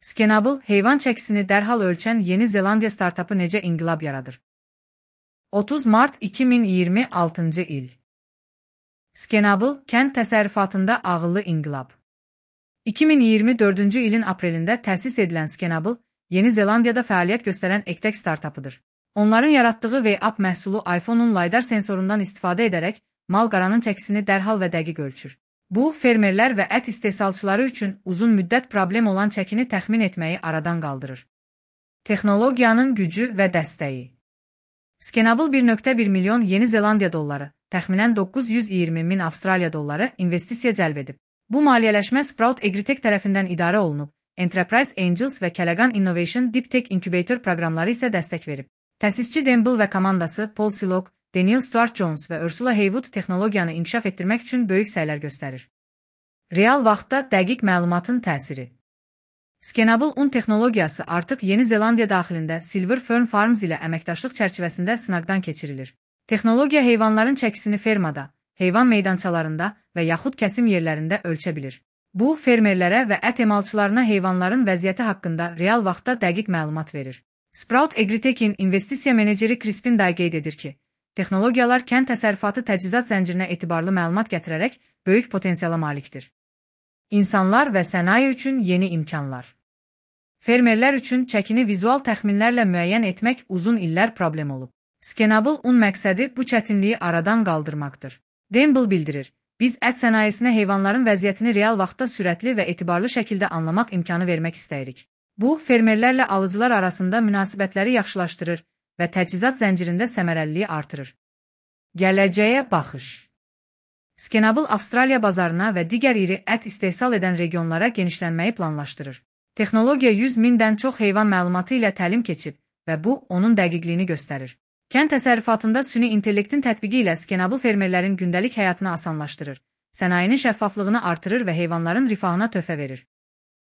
Scanable, heyvan çəkisini dərhal ölçən Yeni Zelandiya startapı necə inqilab yaradır? 30 mart 2026-cı il. Scanable, kənd təsərrüfatında ağıllı inqilab. 2024-cü ilin aprelində təsis edilən Scanable, Yeni Zelandiyada fəaliyyət göstərən eqtək startapıdır. Onların yaratdığı V-App məhsulu iPhone-un LiDAR sensorundan istifadə edərək mal-qaranın çəkisini dərhal və dəqiq ölçür. Bu, fermerlər və ət istehsalçıları üçün uzun müddət problem olan çəkini təxmin etməyi aradan qaldırır. Texnologiyanın gücü və dəstəyi. Scanable 1.1 milyon Yeni Zelandiya dolları, təxminən 920 min Avstraliya dolları investisiya cəlb edib. Bu maliyyələşmə Sprout Agritech tərəfindən idarə olunub, Enterprise Angels və Callaghan Innovation Deep Tech Incubator proqramları isə dəstək verib. Təsisçi Demble və komandası Paul Silog, Daniel Stuart Jones və Ursula Haywood texnologiyanı inkişaf etdirmək üçün böyük səylər göstərir. Real vaxtda dəqiq məlumatın təsiri. Scanable un texnologiyası artıq Yeni Zelandiya daxilində Silver Fern Farms ilə əməkdaşlıq çərçivəsində sınaqdan keçirilir. Texnologiya heyvanların çəkisini fermada, heyvan meydançalarında və yaxud kəsim yerlərində ölçə bilir. Bu, fermerlərə və ət emalçılarına heyvanların vəziyyəti haqqında real vaxtda dəqiq məlumat verir. Sprout Agritech'in investisiya meneceri Crispin Day qeyd edir ki, texnologiyalar kənd təsərrüfatı təchizat zəncirinə etibarlı məlumat gətirərək böyük potensiala malikdir. İnsanlar və sənaye üçün yeni imkanlar. Fermerlər üçün çəkini vizual təxminlərlə müəyyən etmək uzun illər problem olub. Scanable un məqsədi bu çətinliyi aradan qaldırmaqdır. Demble bildirir, biz ət sənayesinə heyvanların vəziyyətini real vaxtda sürətli və etibarlı şəkildə anlamaq imkanı vermək istəyirik. Bu, fermerlərlə alıcılar arasında münasibətləri yaxşılaşdırır və təchizat zəncirində səmərəliliyi artırır. Gələcəyə baxış. Scanable Avstraliya bazarına və digər iri ət istehsal edən regionlara genişlənməyi planlaşdırır. Texnologiya 100 mindən çox heyvan məlumatı ilə təlim keçib və bu, onun dəqiqliyini göstərir. Kənd təsərrüfatında süni intellektin tətbiqi ilə Scanable fermerlərin gündəlik həyatını asanlaşdırır, sənayenin şəffaflığını artırır və heyvanların rifahına töhfə verir.